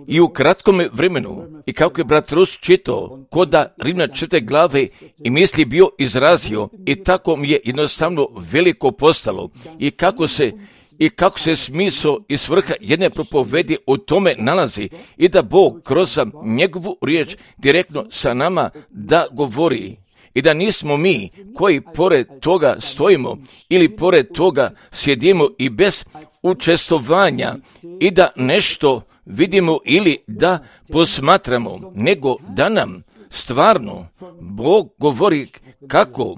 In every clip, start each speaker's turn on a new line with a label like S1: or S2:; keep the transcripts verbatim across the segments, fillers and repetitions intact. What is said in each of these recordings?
S1: I u kratkom vremenu, i kako je brat Rus čitao, ko da Rimljan četvrte glave i misli bio izrazio, i tako mi je jednostavno veliko postalo, i kako se I kako se smisao i svrha jedne propovedi u tome nalazi i da Bog kroz njegovu riječ direktno sa nama da govori. I da nismo mi koji pored toga stojimo ili pored toga sjedimo i bez učestvovanja i da nešto vidimo ili da posmatramo, nego da nam stvarno Bog govori kako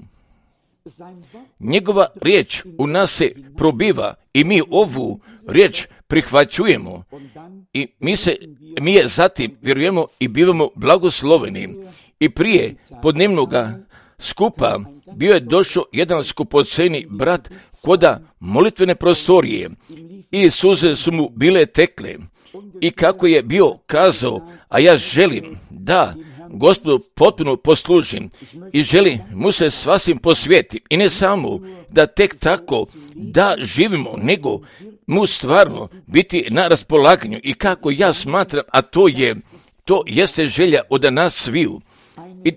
S1: njegova riječ u nas se probiva i mi ovu riječ prihvaćujemo i mi, se, mi je zatim vjerujemo i bivamo blagosloveni. I prije podnevnoga skupa bio je došao jedan skupoceni brat koda molitvene prostorije i suze su mu bile tekle i kako je bio kazao, a ja želim da Gospodu potpuno poslužim i želim mu se sasvim posvetiti i ne samo da tek tako da živimo, nego mu stvarno biti na raspolaganju i kako ja smatram, a to je, to jeste želja od nas sviju. I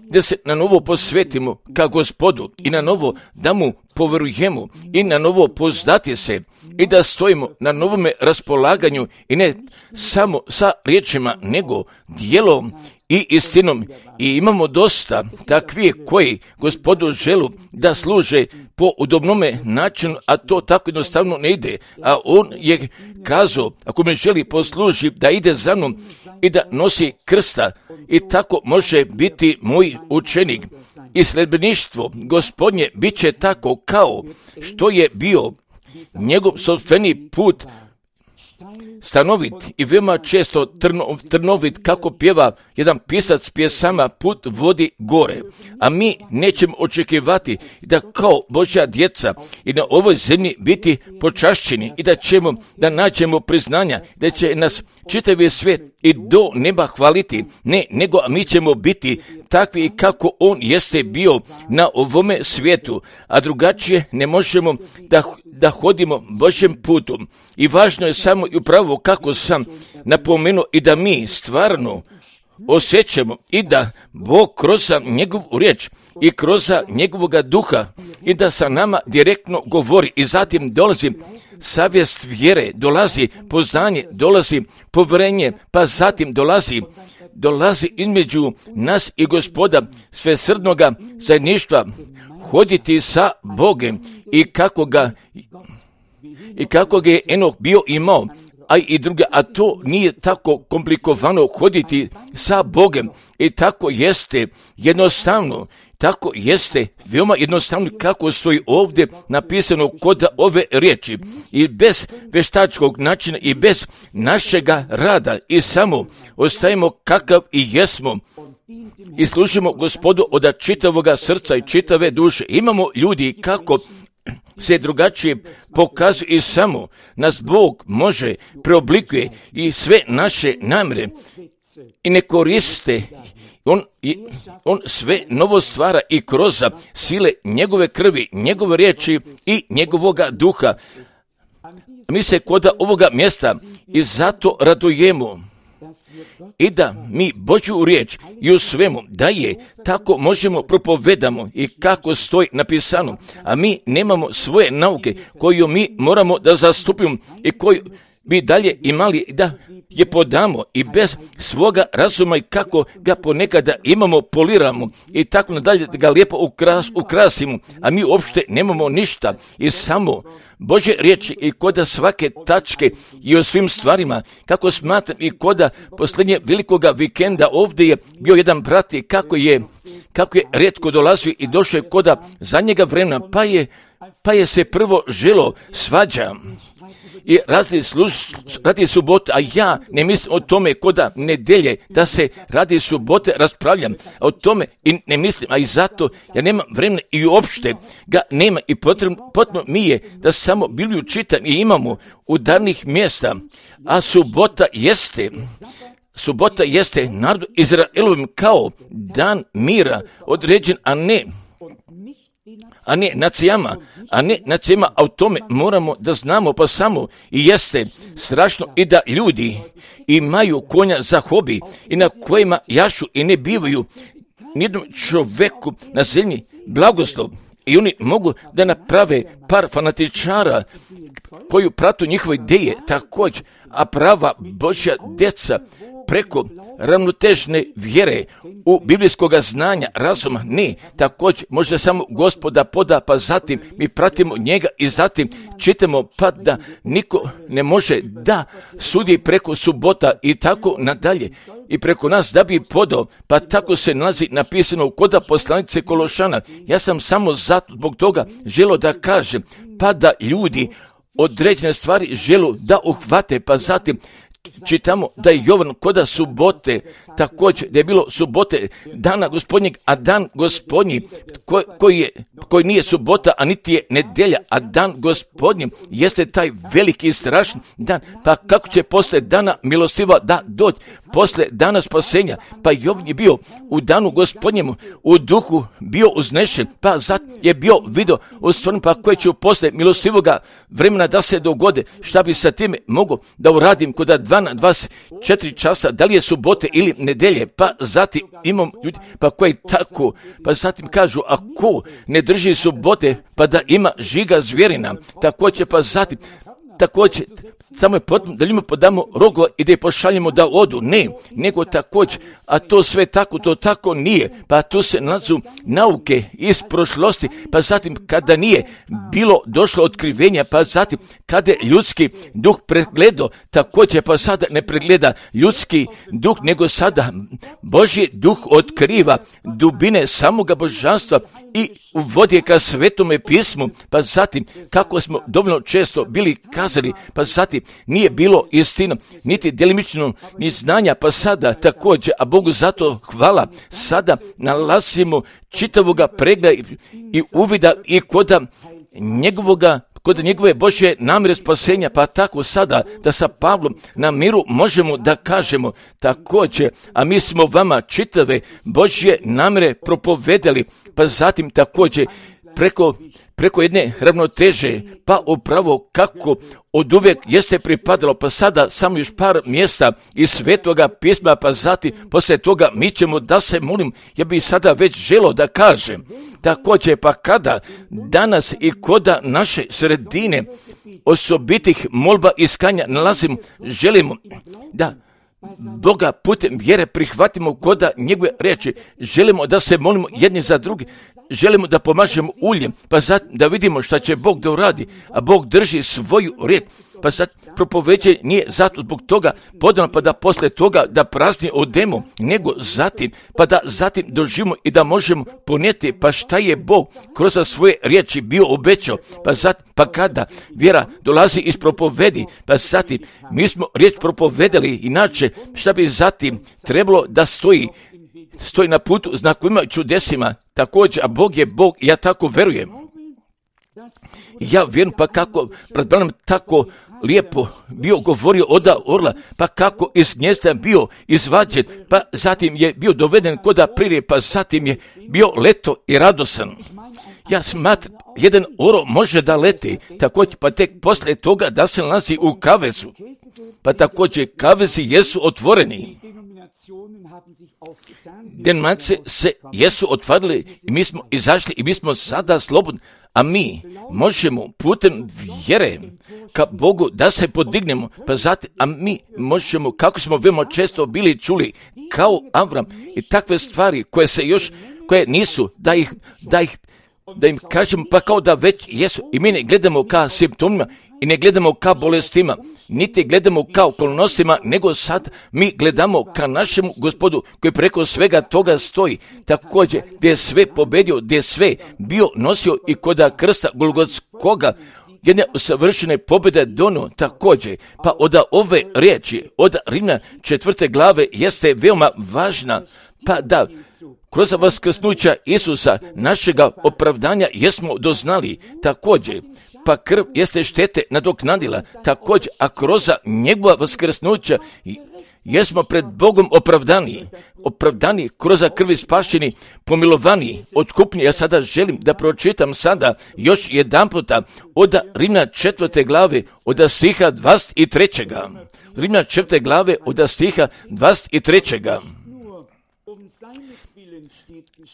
S1: da se na novo posvetimo ka Gospodu i na novo da mu poverujemo i na novo poznati se i da stojimo na novome raspolaganju i ne samo sa riječima nego djelom i istinom. I imamo dosta takvih koji Gospodu želu da služe po udobnome načinu, a to tako jednostavno ne ide. A on je kazao, ako me želi posluži, da ide za mnom i da nosi krsta i tako može biti moj učenik. I sljedbeništvo Gospodnje bit će tako kao što je bio njegov sopstveni put stanovit i veoma često trno, trnovit, kako pjeva jedan pisac pjesama, put vodi gore. A mi nećemo očekivati da kao Božja djeca i na ovoj zemlji biti počašćeni i da ćemo da nađemo priznanja, da će nas čitavi svijet i do neba hvaliti. Ne, nego mi ćemo biti takvi kako on jeste bio na ovome svijetu, a drugačije ne možemo da, da hodimo Božjem putom. I važno je samo i upravo kako sam napomenuo i da mi stvarno osjećamo i da Bog kroz njegovu riječ i kroz njegovoga duha i da sa nama direktno govori i zatim dolazi savjest vjere, dolazi poznanje, dolazi povjerenje, pa zatim dolazi dolazi između nas i Gospoda svesrdnoga zajedništva, hoditi sa Bogem i kako ga i kako ga je Enok bio imao, a i druge, a to nije tako komplikovano hoditi sa Bogem i tako jeste jednostavno, tako jeste veoma jednostavno kako stoji ovdje napisano kod ove riječi i bez veštačkog načina i bez našega rada i samo ostajemo kakav i jesmo i služimo Gospodu od čitavoga srca i čitave duše. Imamo ljudi kako se drugačije pokazuje i samo nas Bog može preoblikuje i sve naše namjere i ne koriste. On, on sve novo stvara i kroz sile njegove krvi, njegove riječi i njegovoga duha. Mi se kod ovoga mjesta i zato radujemo i da mi Božju riječ i u svemu da je tako možemo propovedamo i kako stoji napisano, a mi nemamo svoje nauke koju mi moramo da zastupimo i koju bi dalje imali da je podamo i bez svoga razuma i kako ga ponekada imamo, poliramo i tako nadalje da ga lijepo ukras, ukrasimo, a mi uopšte nemamo ništa i samo Božje riječi i koda svake tačke i o svim stvarima, kako smatram i koda posljednje velikoga vikenda ovdje je bio jedan brat i kako je, kako je rijetko dolazio i došao je koda zadnjega vremena, pa je, pa je se prvo želo svađa i radi, služ, radi subote, a ja ne mislim o tome koda nedelje da se radi subote raspravljam, a o tome i ne mislim, a i zato ja nemam vremena i uopšte ga nema i potrebno, potrebno mi je da samo Bibliju čitam i imamo udarnih mjesta, a subota jeste subota jeste narodu Izraelovim kao dan mira određen, a ne a ne nacijama, a ne nacijama, a o tome moramo da znamo pa samo i jeste strašno i da ljudi imaju konja za hobi i na kojima jašu i ne bivaju nijednom čoveku na zemlji blagoslov. I oni mogu da naprave par fanatičara koju pratu njihove ideje također, a prava Božja djeca preko ravnotežne vjere u biblijskoga znanja, razuma, ne, također možda samo Gospoda poda, pa zatim mi pratimo njega i zatim čitamo pa da niko ne može da sudi preko subota i tako nadalje. I preko nas da bi podao, pa tako se nalazi napisano kod poslanice Kološana. Ja sam samo zato zbog toga želio da kažem, pa da ljudi određene stvari želu da uhvate, pa zatim čitamo da je Jovan koda subote, također da je bilo subote dana gospodnjeg, a dan gospodnji koji, koji, je, koji nije subota, a niti je nedjelja, a dan gospodnji jeste taj veliki i strašni dan. Pa kako će posle dana milostiva da doći, posle dana spasenja? Pa Jovan je bio u danu gospodnjemu, u duhu bio uznešen, pa zat je bio video u stvarno, pa koje će posle milosivoga vremena da se dogode. Šta bi sa time mogo da uradim kod dvadeset četiri časa, da li je subote ili nedelje? Pa zatim imam ljudi pa koji tako, pa zatim kažu, a ko ne drži subote pa da ima žiga zvjerina, također pa zatim također samo je potrebno da ljudima podamo rogova i da je pošaljemo da odu. Ne, nego također, a to sve tako, to tako nije. Pa tu se nalazu nauke iz prošlosti, pa zatim kada nije bilo došlo otkrivenja, pa zatim kada je ljudski duh pregledao, također pa sada ne pregleda ljudski duh, nego sada Božji duh otkriva dubine samoga božanstva i uvodi je ka svetome pismu, pa zatim kako smo dovoljno često bili kazali, pa zatim nije bilo istina, niti djelimično ni znanja, pa sada također, a Bogu zato hvala, sada nalazimo čitavoga pregleda i, i uvida i koda njegovoga kod njegove Božje namjere spasenja, pa tako sada da sa Pavlom na miru možemo da kažemo također, a mi smo vama čitave Božje namjere propovedali, pa zatim također preko, preko jedne ravnoteže, pa upravo kako od uvijek jeste pripadalo, pa sada samo još par mjesta iz Svetoga pisma, pa zatim poslije toga mi ćemo da se molim, ja bih sada već želio da kažem, također pa kada danas i koda naše sredine osobitih molba iskanja nalazimo, želimo da Boga putem vjere prihvatimo koda njegove riječi, želimo da se molimo jedni za drugi, želimo da pomažemo uljem, pa zatim da vidimo šta će Bog da uradi, a Bog drži svoju riječ, pa sad propoveđenje nije zato zbog toga podano, pa da posle toga da prazni odemo, nego zatim, pa da zatim doživimo i da možemo ponijeti, pa šta je Bog kroz svoje riječi bio obećao, pa zatim, pa kada vjera dolazi iz propovedi, pa zatim mi smo riječ propovedali, inače šta bi zatim trebalo da stoji, stoji na putu znakovima i čudesima, također, a Bog je Bog i ja tako verujem. Ja vjerujem pa kako pred Branom tako lijepo bio govorio oda orla, pa kako iz gnjezda bio izvađen, pa zatim je bio doveden koda pririje, pa zatim je bio leto i radosan. Ja smatram, jedan oro može da leti, također pa tek poslije toga da se nalazi u kavezu, pa također kavezi jesu otvoreni. Denominacije se jesu otvorili i mi smo izašli i mi smo sada slobodni, a mi možemo putem vjere ka Bogu da se podignemo, pa zatim, a mi možemo, kako smo veoma često bili čuli, kao Avram i takve stvari koje se još, koje nisu, da ih, da ih, da im kažemo, pa kao da već jesu, i mi ne gledamo ka simptomima i ne gledamo ka bolestima, niti gledamo ka okolnostima, nego sad mi gledamo ka našemu Gospodu koji preko svega toga stoji, također gdje je sve pobedio, gdje je sve bio nosio i koda krsta Golgotskoga jedne savršene pobjede dono također, pa od ove riječi, od Rimljana četvrte glave jeste veoma važna, pa da kroz vaskrsnuća Isusa našega opravdanja jesmo doznali također, pa krv jeste štete nadoknadila također, a kroz njegova vaskrsnuća jesmo pred Bogom opravdani, opravdani kroz krvi spašeni, pomilovani, otkupni. Ja sada želim da pročitam sada još jedan puta od Rimljana četvrte glave od stiha dvadeset trećega. Rimljana četvrte glave od stiha dvadeset trećega.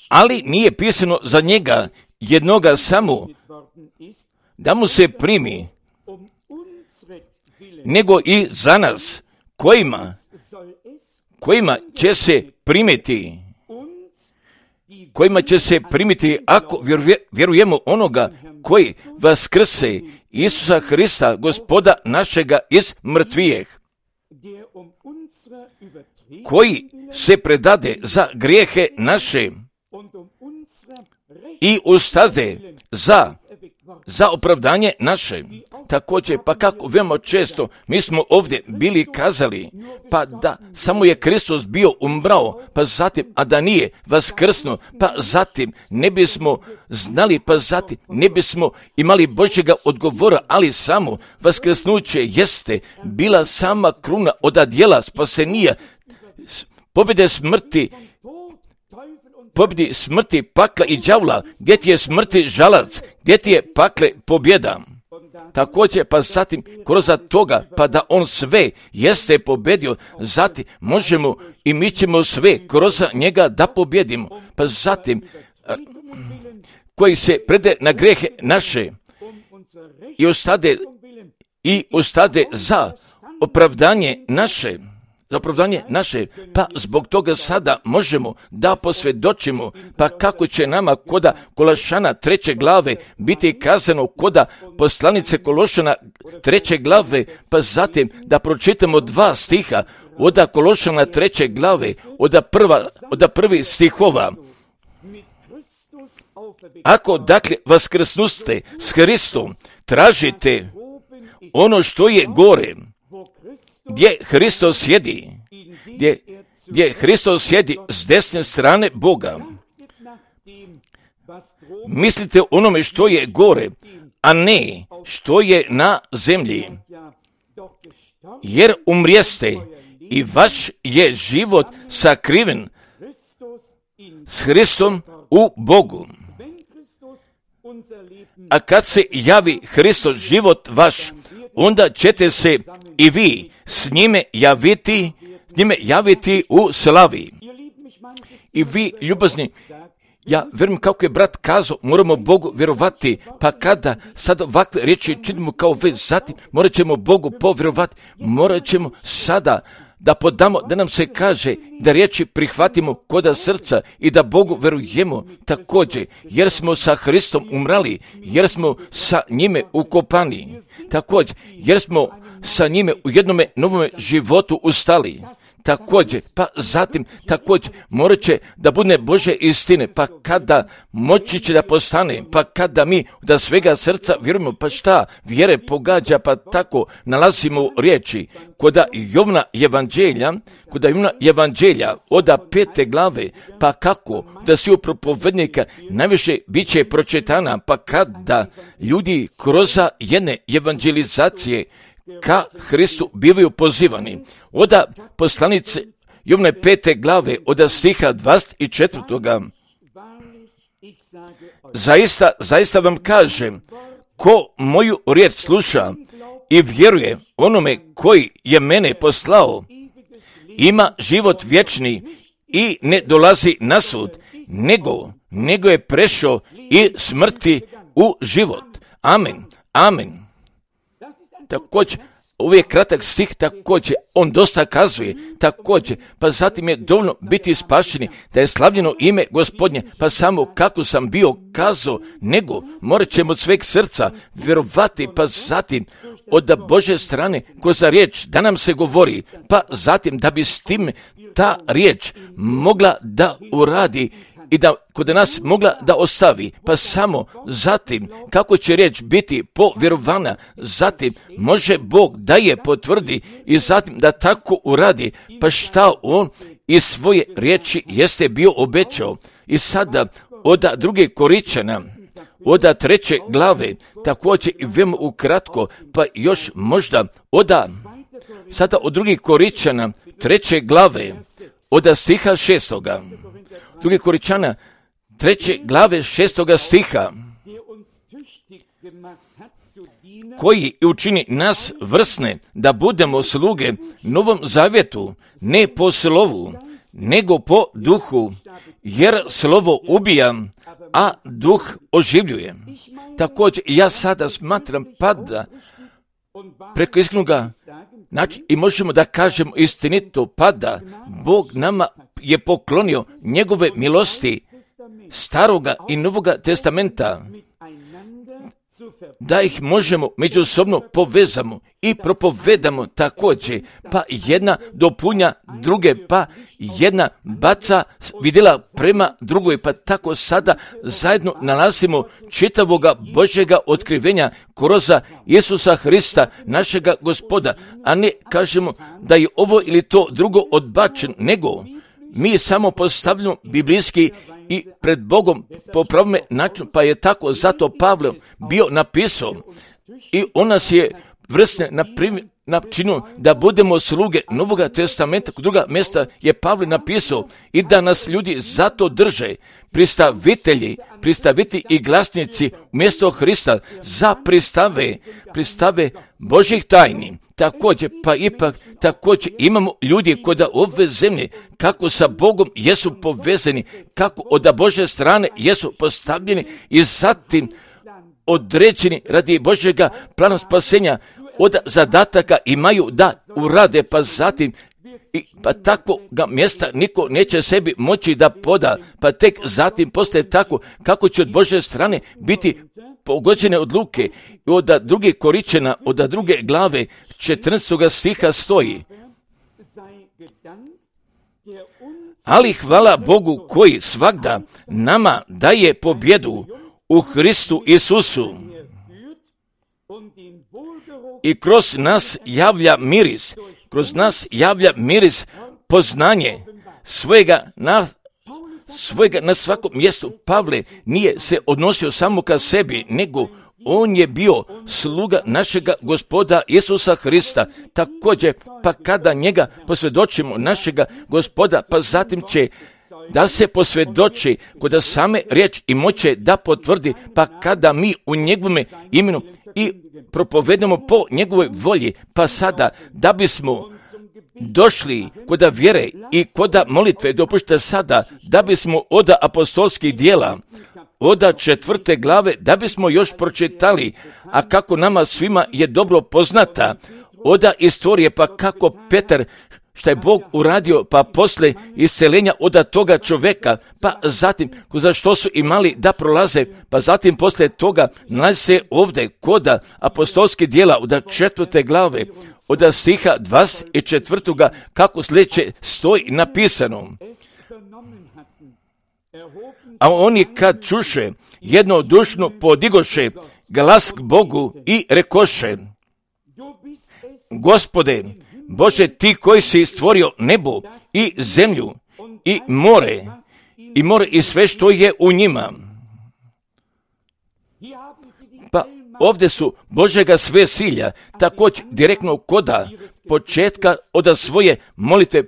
S1: Ali nije pisano za njega jednoga samo da mu se primi, nego i za nas, kojima, kojima će se primiti, kojima će se primiti ako vjerujemo onoga koji vaskrse Isusa Hrista, Gospoda našega iz mrtvijeh, koji se predade za grijehe naše i ustade za za opravdanje naše. Također, pa kako veoma često mi smo ovdje bili kazali, pa da samo je Kristus bio umrao, pa zatim, a da nije vaskrsnuo, pa zatim ne bismo znali, pa zatim ne bismo imali Božjega odgovora, ali samo vaskrsnuće jeste bila sama kruna od djela spasenija, pobjede smrti, pobjedi smrti, pakla i đavla. Gdje ti je smrti žalac, gdje ti je pakle pobjeda. Također, pa zatim kroz toga, pa da on sve jeste pobjedio, zatim možemo i mi ćemo sve kroz njega da pobjedimo. Pa zatim, koji se prede na grehe naše i ostade, i ostade za opravdanje naše, za opravdanje naše, pa zbog toga sada možemo da posvjedočimo, pa kako će nama koda Kološana treće glave biti kazano koda poslanice Kološana treće glave, pa zatim da pročitamo dva stiha od Kološana treće glave, od prva, od prvi stihova. Ako dakle vaskrsnuste s Hristom, tražite ono što je gore, gdje Hristos sjedi, gdje, gdje Hristos sjedi s desne strane Boga. Mislite onome što je gore, a ne što je na zemlji. Jer umrijeste i vaš je život sakriven s Hristom u Bogu. A kad se javi Hristos život vaš, onda ćete se i vi s njime javiti, s njime javiti u slavi. I vi, ljubazni, ja vjerujem kako je brat kazao, moramo Bogu vjerovati, pa kada sad ovakve riječi činimo kao već, zatim morat ćemo Bogu povjerovati, morat ćemo sada da podamo, da nam se kaže da riječi prihvatimo koda srca i da Bogu verujemo također, jer smo sa Hristom umrali, jer smo sa njime ukopani, također, jer smo sa njime u jednome novome životu ustali. Također, pa zatim, također, morat će da bude Božje istine, pa kada moći će da postane, pa kada mi da svega srca vjerujemo, pa šta vjere pogađa, pa tako nalazimo riječi koda Jovna evanđelja, koda Jovna evanđelja od pete glave, pa kako da svi propovednika najviše bit će pročitana, pa kada ljudi kroz jedne evanđelizacije ka Hristu bivaju pozivani. Oda poslanice Jovne pete glave od stiha dvadeset četvrtoga. Zaista, zaista vam kažem, ko moju riječ sluša i vjeruje onome koji je mene poslao, ima život vječni i ne dolazi na sud, nego, nego je prešao i smrti u život. Amen, amen. Također, uvijek kratak stih, također, on dosta kazuje, također, pa zatim je dovoljno biti spašeni, da je slavljeno ime Gospodnje, pa samo kako sam bio kazao, nego morat ćemo od sveg srca vjerovati, pa zatim od Božje strane kroz riječ da nam se govori, pa zatim da bi s tim ta riječ mogla da uradi i da kod nas mogla da ostavi, pa samo zatim kako će riječ biti povjerovana, zatim može Bog da je potvrdi i zatim da tako uradi, pa šta on iz svoje riječi jeste bio obećao. I sada od druge Koričana, od treće glave, također i veoma ukratko, pa još možda od sada od drugih Koričana, treće glave od stiha šestoga. Drugi Korinčana treće glave šestoga stiha, koji učini nas vrsne da budemo sluge Novom Zavjetu, ne po slovu, nego po duhu, jer slovo ubija, a duh oživljuje. Također, ja sada smatram pada preko iskrenoga, znači, i možemo da kažemo istinito pada, Bog nama je poklonio njegove milosti Staroga i Novoga testamenta, da ih možemo međusobno povezamo i propovedamo također, pa jedna dopunja druge, pa jedna baca vidjela prema drugoj, pa tako sada zajedno nalazimo čitavoga Božjega otkrivenja kroz Isusa Hrista, našega Gospoda, a ne kažemo da je ovo ili to drugo odbačeno, nego mi samo postavljamo biblijski i pred Bogom po pravome načinu, pa je tako zato Pavle bio napisao i on nas je vrsne na primjer načinu da budemo sluge Novoga testamenta. Druga mjesta je Pavle napisao i da nas ljudi zato drže, pristavitelji, pristaviti i glasnici umjesto Hrista za pristave, pristave Božjih tajni. Također, pa ipak također imamo ljudi kod ove zemlje kako sa Bogom jesu povezani, kako od Božje strane jesu postavljeni i zatim određeni radi Božjega plana spasenja, od zadataka imaju da urade, pa zatim i, pa takvoga mjesta niko neće sebi moći da poda, pa tek zatim postaje tako kako će od Božje strane biti pogođene odluke. I od druge Korinčana, od druge glave četrnaestog stiha stoji: ali hvala Bogu koji svagda nama daje pobjedu u Hristu Isusu i kroz nas javlja miris, kroz nas javlja miris poznanje svojega na, svojega na svakom mjestu. Pavle nije se odnosio samo ka sebi, nego on je bio sluga našega Gospoda Isusa Hrista. Također, pa kada njega posvjedočimo našega Gospoda, pa zatim će da se posvjedoči kod same riječ i moće da potvrdi, pa kada mi u njegovome imenu i propovedamo po njegovoj volji, pa sada da bismo došli kod vjere i kod molitve, dopušte sada da bismo od apostolskih dijela, od četvrte glave, da bismo još pročitali, a kako nama svima je dobro poznata, od istorije, pa kako Petar, šta je Bog uradio, pa posle isceljenja od toga čoveka, pa zatim za što su imali da prolaze, pa zatim posle toga nalazi se ovdje kod apostolskih dijela od četvrte glave, od stiha dvadeset četvrtoga kako sljedeće stoji napisano: a oni kad čuše, jednodušno podigoše glas k Bogu i rekoše: Gospode, Bože, ti koji si stvorio nebo i zemlju i more, i more i sve što je u njima. Pa ovdje su Božjega sve silja, također direktno koda početka od svoje molitve,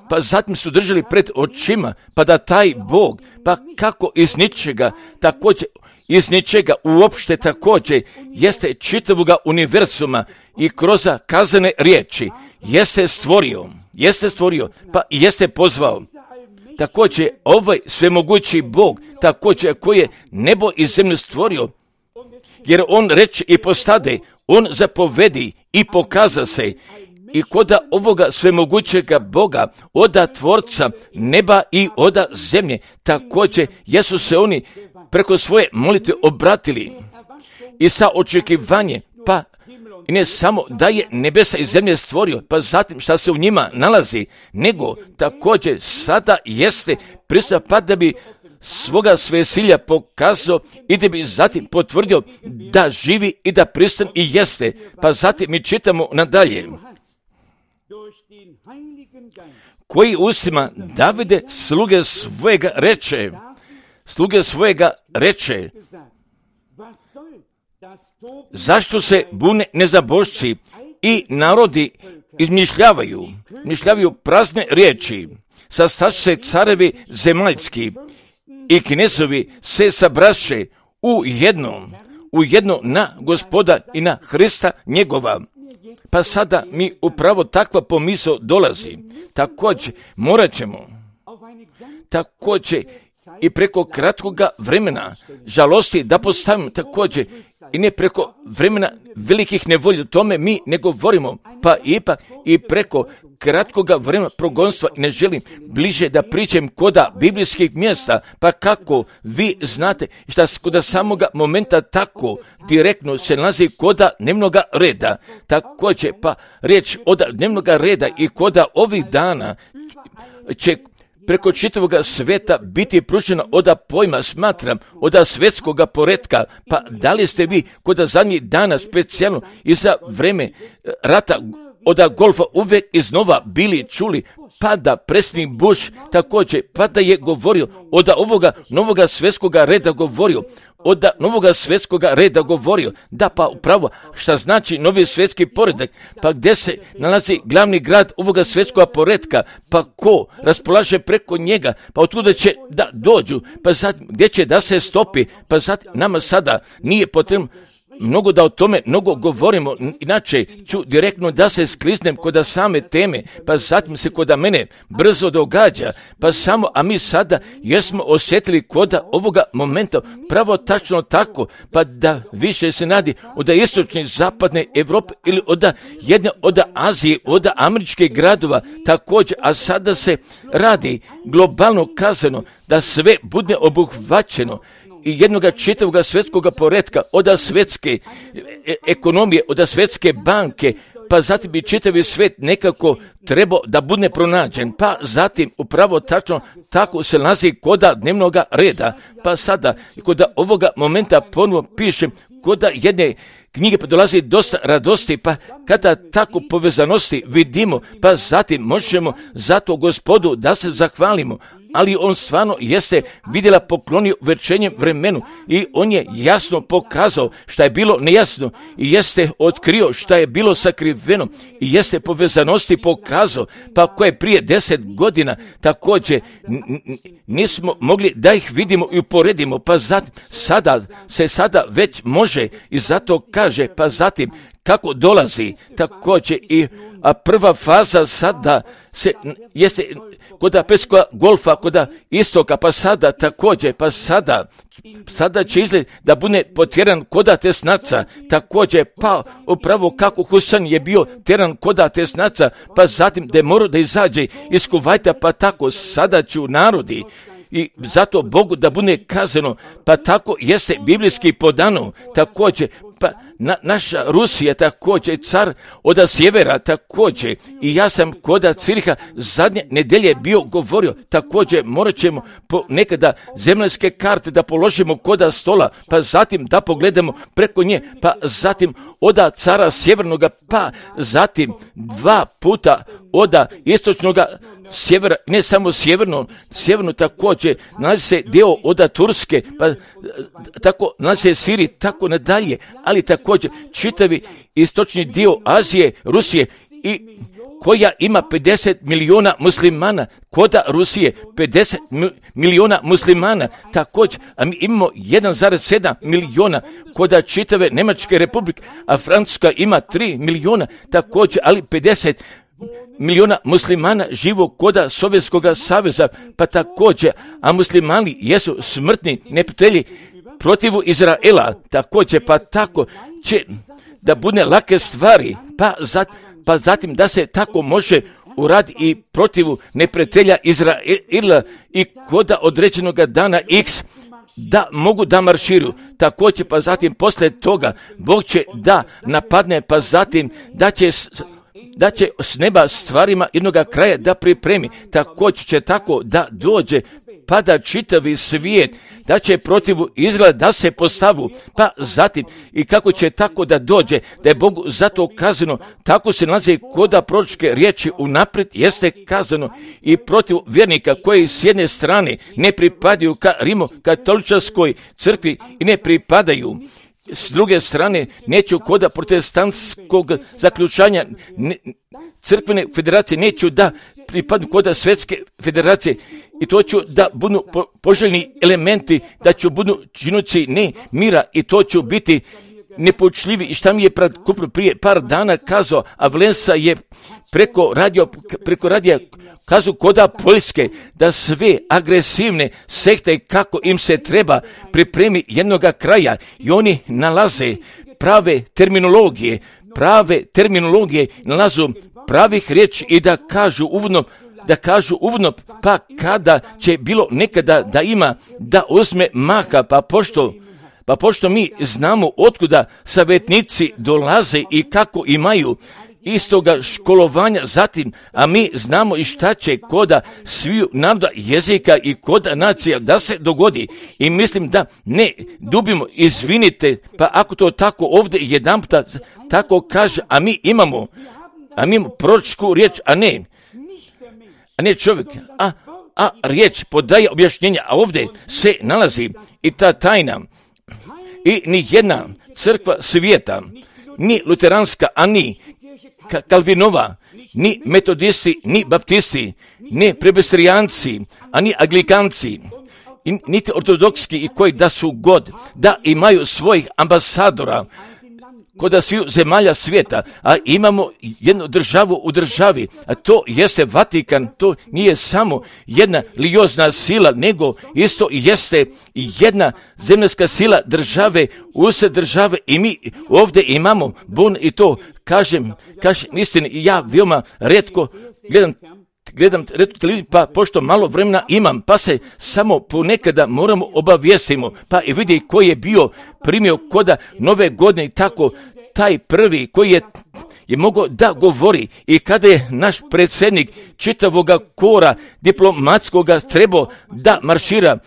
S1: pa zatim su držali pred očima, pa da taj Bog, pa kako iz ničega, također iz ničega uopšte također jeste čitavoga univerzuma i kroz kazane riječi jeste stvorio, jeste stvorio, pa jeste pozvao. Također ovaj svemogući Bog, također koji je nebo i zemlju stvorio, jer on reče i postade, on zapovedi i pokaza se. I kod ovoga svemogućega Boga, oda tvorca neba i oda zemlje, također jesu se oni preko svoje molitve obratili i sa očekivanje, pa i ne samo da je nebesa i zemlje stvorio, pa zatim šta se u njima nalazi, nego također sada jeste prisutan, pa da bi svoga svesilja pokazao i da bi zatim potvrdio da živi i da pristan i jeste. Pa zatim mi čitamo nadalje: koji ustima Davide sluge svojega reče, sluge svojega reče, zašto se bune nezabošci i narodi izmišljavaju, izmišljavaju prazne riječi, sastašu se carevi zemaljski i knezovi se sabraše u jednom, u jedno na Gospoda i na Hrista njegova. Pa sada mi upravo takva pomisao dolazi. Također morat ćemo, također i preko kratkoga vremena žalosti da postavimo također i ne preko vremena velikih nevolja, o tome mi ne govorimo, pa ipak i preko kratkoga vremena progonstva i ne želim bliže da pričam koda biblijskih mjesta, pa kako vi znate šta koda samoga momenta tako direktno se nalazi koda dnevnoga reda. Također pa riječ od dnevnoga reda i koda ovih dana će preko čitavoga sveta biti pružena oda pojma, smatram, oda svjetskoga poretka. Pa da li ste vi koda zadnjih dana specijalno i za vreme rata oda golfa uvijek iznova bili čuli, pa da predsjednik Bush također, pa da je govorio oda ovoga novoga svjetskoga reda govorio, oda novoga svjetskoga reda govorio, da pa upravo šta znači novi svjetski poredak, pa gdje se nalazi glavni grad ovoga svjetskoga poretka, pa ko raspolaže preko njega, pa otkuda će da dođu, pa zatim gdje će da se stopi, pa zatim nama sada nije potrebno mnogo da o tome mnogo govorimo, inače ću direktno da se skliznem koda same teme, pa zatim se koda mene brzo događa, pa samo, a mi sada jesmo osjetili koda ovoga momenta pravo tačno tako, pa da više se nadi od istočne zapadne Evrope ili od jedne od Azije, od američkih gradova također, a sada se radi globalno kazano da sve bude obuhvaćeno i jednoga čitavoga svjetskoga poretka, od svjetske e- ekonomije, od svjetske banke, pa zatim bi čitavi svijet nekako trebao da bude pronađen, pa zatim upravo tačno tako se nalazi koda dnevnoga reda, pa sada koda ovoga momenta ponovo pišem koda jedne knjige, pa dolazi dosta radosti, pa kada tako povezanosti vidimo, pa zatim možemo zato Gospodu da se zahvalimo, ali on stvarno jeste vidjela poklonio večernjem vremenu i on je jasno pokazao šta je bilo nejasno i jeste otkrio šta je bilo sakriveno i jeste povezanosti pokazao, pa koje prije deset godina također nismo mogli da ih vidimo i uporedimo, pa zatim sada se sada već može i zato kaže, pa zatim kako dolazi također i a prva faza sada se jeste koda peskoga golfa, koda istoka, pa sada također, pa sada sada će izgled da bude potjeran koda tesnaca, također pa upravo kako Husan je bio tjeran koda tesnaca, pa zatim da je morao da izađe iz Kuvajta, pa tako sada će u narodi i zato Bogu da bude kazano, pa tako jeste biblijski podano, također pa na, naša Rusija također, car od sjevera također, i ja sam koda Ciriha zadnje nedelje bio govorio, također morat ćemo po nekada zemaljske karte da položimo koda stola, pa zatim da pogledamo preko nje, pa zatim oda cara sjevernoga, pa zatim dva puta oda istočnoga sjevera, ne samo sjeverno, sjeverno također, nalazi se dio oda Turske, pa tako nalazi se Siriji, tako nadalje, ali također čitavi istočni dio Azije, Rusije i koja ima pedeset milijuna muslimana, koda Rusije pedeset milijuna muslimana, također, a mi imamo jedan zarez sedam milijuna, koda čitave Njemačke republike, a Francuska ima tri milijuna, također, ali pedeset milijuna muslimana živo koda Sovjetskog saveza, pa također, a muslimani jesu smrtni neprijatelji protivu Izraela, također, pa tako će da bude lake stvari, pa, zat, pa zatim da se tako može uraditi i protivu neprijatelja Izraela i koda određenog dana X da mogu da marširu, također, pa zatim poslije toga Bog će da napadne, pa zatim da će da će s neba stvarima jednoga kraja da pripremi, također će tako da dođe, pa da čitavi svijet, da će protivu izgled da se postavu, pa zatim i kako će tako da dođe, da je Bogu zato kazano, tako se nalazi koda proročke riječi unaprijed jeste kazano i protiv vjernika koji s jedne strane ne pripadaju ka Rimo katoličarskoj crkvi i ne pripadaju s druge strane neću koda protestantskog zaključanja ne, crkvene federacije, neću da pripadnu koda svjetske federacije i to ću da budu po, poželjni elementi, da ću budu činući ne mira i to ću biti nepočljivi. I šta mi je prije par dana kazao, a Valensa je preko radio, preko radija kazu koda Poljske, da sve agresivne sekte kako im se treba pripremi jednoga kraja i oni nalaze prave terminologije, prave terminologije, nalazu pravih riječi i da kažu uvodno, da kažu uvodno, pa kada će bilo nekada da ima, da uzme maha, pa pošto Pa pošto mi znamo otkuda savjetnici dolaze i kako imaju istoga školovanja, zatim, a mi znamo i šta će koda sviju naroda jezika i koda nacija da se dogodi. I mislim da ne dubimo, izvinite, pa ako to tako ovdje jedanputa tako kaže, a mi imamo, a mi imamo proročku riječ, a ne, a ne čovjek, a, a riječ podaje objašnjenja, a ovdje se nalazi i ta tajna. I ni jedna crkva svijeta, ni luteranska, a ni Kalvinova, ni metodisti, ni baptisti, ni presbiterijanci, a ni anglikanci, niti ortodokski i koji da su god, da imaju svojih ambasadora kod sviju zemalja svijeta, a imamo jednu državu u državi, a to jeste Vatikan, to nije samo jedna religiozna sila, nego isto jeste jedna zemaljska sila države, usred države i mi ovdje imamo bun i to, kažem, kažem istini, ja veoma retko gledam gledam televiziju, pa pošto malo vremena imam, pa se samo ponekada moramo obavijestimo, pa i vidi koji je bio primio koda nove godine i tako, taj prvi koji je, je mogao da govori i kada je naš predsjednik čitavoga kora diplomatskoga trebao da maršira,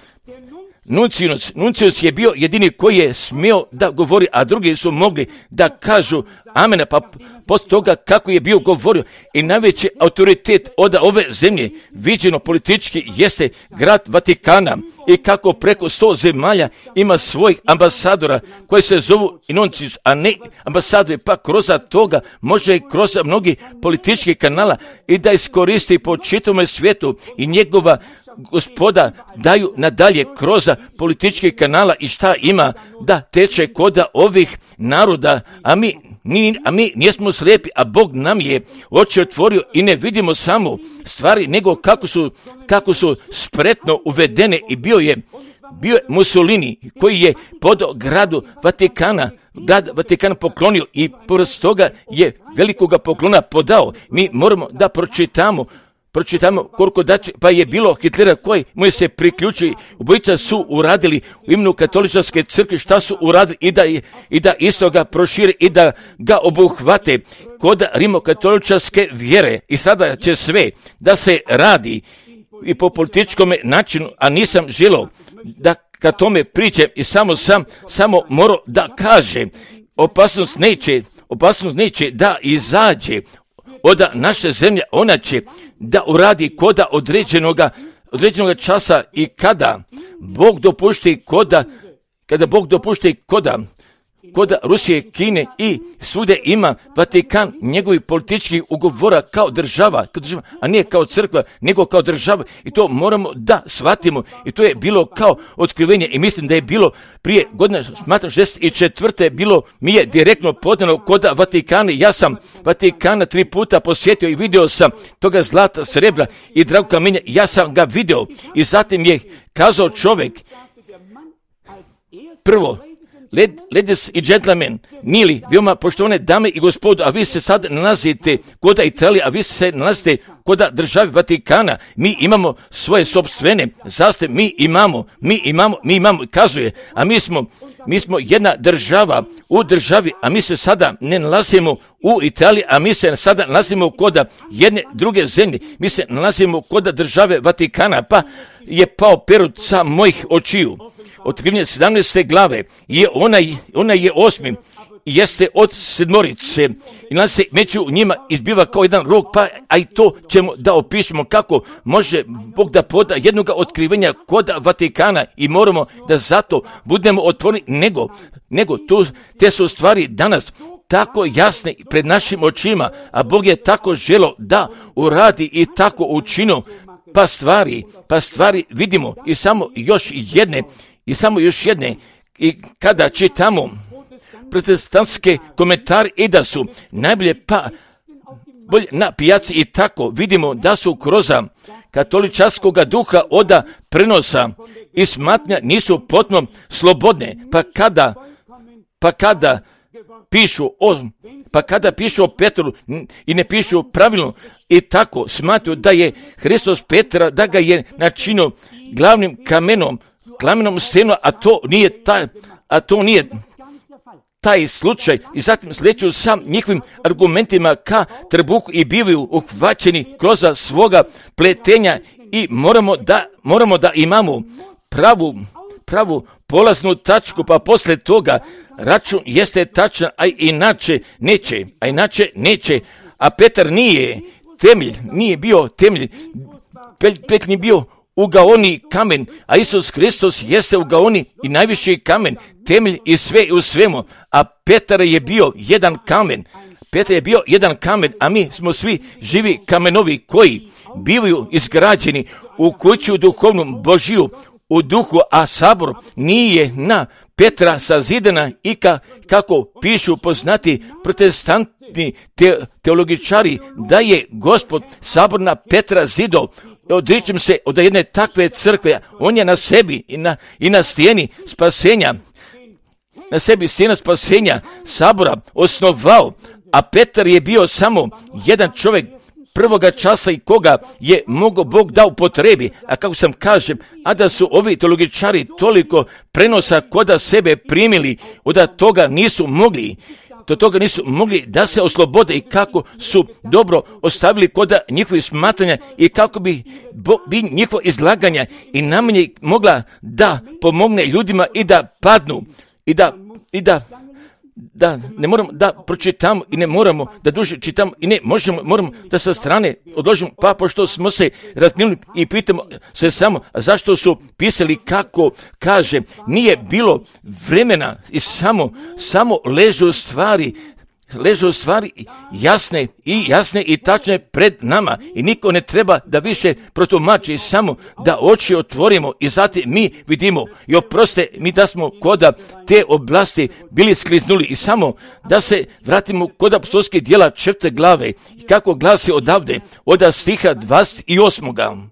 S1: Nuncius, Nuncius je bio jedini koji je smio da govori, a drugi su mogli da kažu amena, pa poslije toga kako je bio govorio i najveći autoritet od ove zemlje, viđeno politički, jeste grad Vatikana i kako preko sto zemalja ima svojih ambasadora koji se zovu Nuncius, a ne ambasadori, pa kroz toga može kroz mnogi politički kanala i da iskoristi po čitavom svijetu i njegova Gospoda daju nadalje kroz politički kanala i šta ima da teče koda ovih naroda, a mi, ni, a mi nismo slijepi, a Bog nam je oči otvorio i ne vidimo samo stvari, nego kako su, kako su spretno uvedene i bio je bio je Mussolini koji je pod gradu Vatikana, grad Vatikana poklonio i pored toga je velikoga poklona podao. Mi moramo da pročitamo Pročitamo koliko daće, pa je bilo Hitlera koji mu je se priključili, obojica su uradili u imenu katoličke crkve šta su uradili i da, i da isto ga prošire i da ga obuhvate kod rimokatoličke vjere. I sada će sve da se radi i po političkom načinu, a nisam želio da ka tome pričam i samo sam, samo morao da kaže, opasnost neće, opasnost neće da izađe od naše zemlje, ona će da uradi koda određenoga, određenoga časa i kada Bog dopušti koda, kada Bog dopušti koda, koda Rusije, Kine i svude ima Vatikan njegovih političkih ugovora kao država, kao država, a nije kao crkva, nego kao država i to moramo da shvatimo i to je bilo kao otkrivenje i mislim da je bilo prije godine, smatram šezdeset četvrte bilo mi je direktno podano koda Vatikana. Ja sam Vatikana tri puta posjetio i vidio sam toga zlata, srebra i dragog kamenja, ja sam ga vidio i zatim je kazao čovjek, prvo, ladies i gentlemen, mili, veoma poštovane dame i gospodo, a vi se sad nalazite koda Italije, a vi se nalazite koda države Vatikana, mi imamo svoje sopstvene zastave, mi imamo, mi imamo, mi imamo, kazuje, a mi smo, mi smo jedna država u državi, a mi se sada ne nalazimo u Italiji, a mi se sada nalazimo koda jedne druge zemlje, mi se nalazimo koda države Vatikana, pa je pao perut sa mojih očiju. Otkrivanje sedamnaeste glave je onaj, onaj je osmi jeste od sedmorice i nas se među njima izbiva kao jedan rog, pa a i to ćemo da opišemo kako može Bog da poda jednoga otkrivenja kod Vatikana i moramo da zato budemo otvoreni, nego, nego tu, te su stvari danas tako jasne pred našim očima, a Bog je tako želo da uradi i tako učinio, pa stvari, pa stvari vidimo i samo još jedne, i samo još jedne, i kada čitamo protestantske komentare i da su najbolje pa bolje na pijaci i tako vidimo da su kroz katoličanskog duha oda prenosa i smatnja nisu potpuno slobodne, pa kada pa kada pišu o pa kada pišu o Petru i ne pišu pravilno i tako smatruju da je Hristos Petra, da ga je načinio glavnim kamenom, glavnom stenom, a to nije taj, a to nije taj slučaj. I zatim sleću sam njihovim argumentima ka trbuhu i bivaju uhvaćeni kroz svoga pletenja i moramo da, moramo da imamo pravu, pravu polaznu tačku, pa posle toga račun jeste tačan, a inače neće, a inače neće, a Petar nije temelj, nije bio temelj, petljni bio ugaoni kamen, a Isus Hristos jeste ugaoni i najviši kamen, temelj i sve u svemu, a Petar je bio jedan kamen, Petar je bio jedan kamen, a mi smo svi živi kamenovi koji bivaju izgrađeni u kuću duhovnu Božiju, u duhu, a sabor nije na Petra sazidana i ka, kako pišu poznati protestantni te, teologičari, da je Gospod sabor na Petra zidao. Odričem se od jedne takve crkve, on je na sebi i na, i na stijeni spasenja, na sebi stijena spasenja sabora osnovao, a Petar je bio samo jedan čovjek prvoga časa i koga je mogao Bog da upotrebi, a kako sam kažem, a da su ovi teologičari toliko prenosa koda sebe primili, od toga nisu mogli, do toga nisu mogli da se oslobode i kako su dobro ostavili koda njihovih smatranja i kako bi, bo, bi njihovo izlaganja i najmanje mogla da pomogne ljudima i da padnu i da, i da da ne moramo da pročitamo i ne moramo da duže čitamo i ne možemo, moramo da sa strane odložimo, pa pošto smo se raznili i pitamo se samo zašto su pisali kako kaže, nije bilo vremena i samo, samo ležu stvari, ležu stvari jasne i jasne i tačne pred nama i niko ne treba da više protumači, samo da oči otvorimo i zatim mi vidimo i oproste mi da smo koda te oblasti bili skliznuli i samo da se vratimo kod apostolskih djela četvrte glave i kako glasi odavde od stiha dvadeset osam.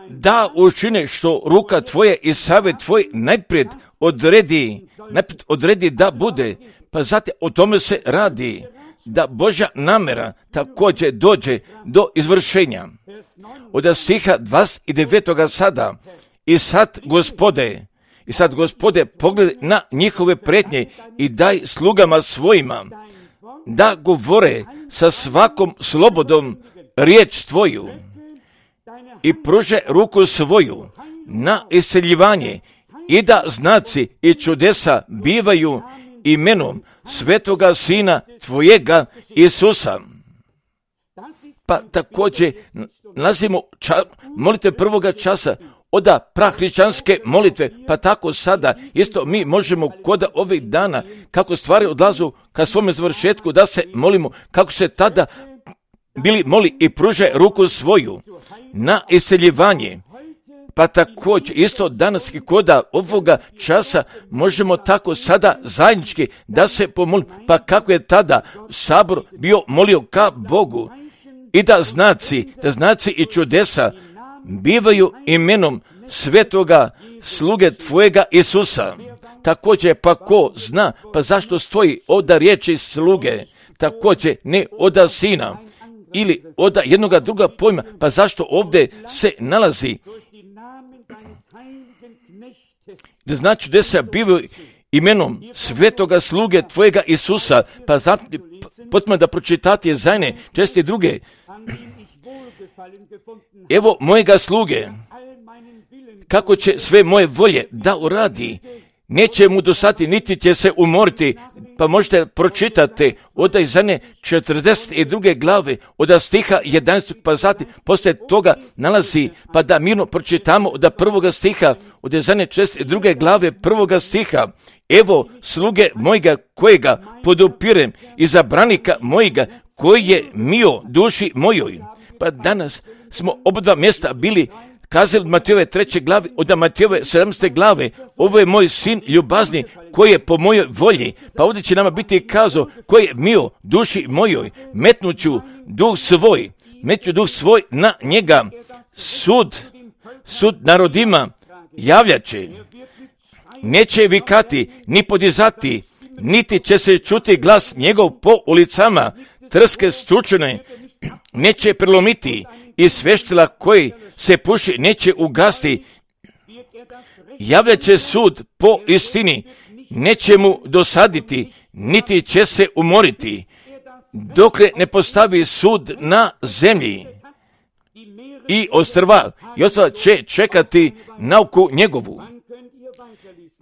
S1: Da učine što ruka tvoje i savjet tvoj najpred odredi, najpred odredi da bude, pa zatim o tome se radi, da Božja namera također dođe do izvršenja. Od stiha dvadeset devet sada, i sad Gospode, i sad Gospode pogledaj na njihove pretnje i daj slugama svojima, da govore sa svakom slobodom riječ tvoju i pruže ruku svoju na iseljivanje i da znaci i čudesa bivaju imenom svetoga Sina tvojega Isusa. Pa također nalazimo ča, molitve prvoga časa od prahrišćanske molitve, pa tako sada isto mi možemo kod ovih dana kako stvari odlazu ka svome završetku da se molimo kako se tada bili moli i pruže ruku svoju na iseljivanje. Pa također isto danas i koda ovoga časa možemo tako sada zajednički da se pomolimo, pa kako je tada sabor bio molio ka Bogu i da znaci, da znaci i čudesa bivaju imenom svetoga sluge tvojega Isusa. Također pa ko zna, pa zašto stoji oda riječi sluge, također ne oda sina ili oda jednoga druga pojma, pa zašto ovdje se nalazi da znači da se bivaju imenom svetoga sluge tvojega Isusa, pa zatim potpuno da pročitate zajedne česti druge. Evo mojega sluge, kako će sve moje volje da uradi. Neće mu dosati, niti će se umoriti. Pa možete pročitati od Izajne četrdeset druge glave, od stiha jedanaestog pa zatim poslije toga nalazi, pa da mirno pročitamo od prvoga stiha, od Izajne četrdeset druge glave prvoga stiha. Evo sluge mojega kojega podupirem i zabranika mojega koji je mio duši mojoj. Pa danas smo oba dva mjesta bili kazali od Matejove treće glave, od Matejove sedamnaeste glave, ovo je moj sin ljubazni koji je po mojoj volji. Pa ovdje će nama biti kazao koji je mio duši mojoj, metnuću duh svoj, metnuću duh svoj na njega, sud, sud narodima javljaće, neće vikati, ni podizati, niti će se čuti glas njegov po ulicama, trske stručene neće prelomiti i sveštila koji se puši neće ugasti. Javljat će sud po istini, neće mu dosaditi, niti će se umoriti, dokle ne postavi sud na zemlji. I ostrva, i ostrva će čekati nauku njegovu.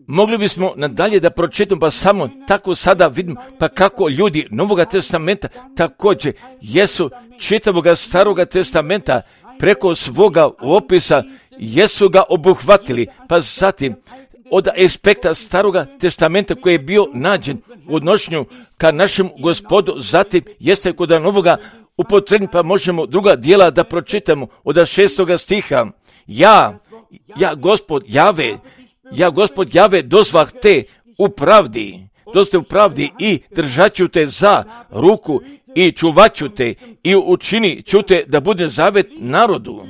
S1: Mogli bismo nadalje da pročitamo, pa samo tako sada vidimo, pa kako ljudi Novoga testamenta također jesu čitavoga Staroga testamenta preko svoga opisa jesu ga obuhvatili, pa zatim od aspekta Staroga testamenta koji je bio nađen u odnošenju ka našem Gospodu, zatim jeste kod Novoga upotrebni, pa možemo druga dijela da pročitamo od šestoga stiha. Ja, ja Gospod Jave, ja Gospod Jave dozvah te u pravdi, dosta u pravdi i držat ću te za ruku i čuvat ću te i učinit ću te da bude zavet narodu.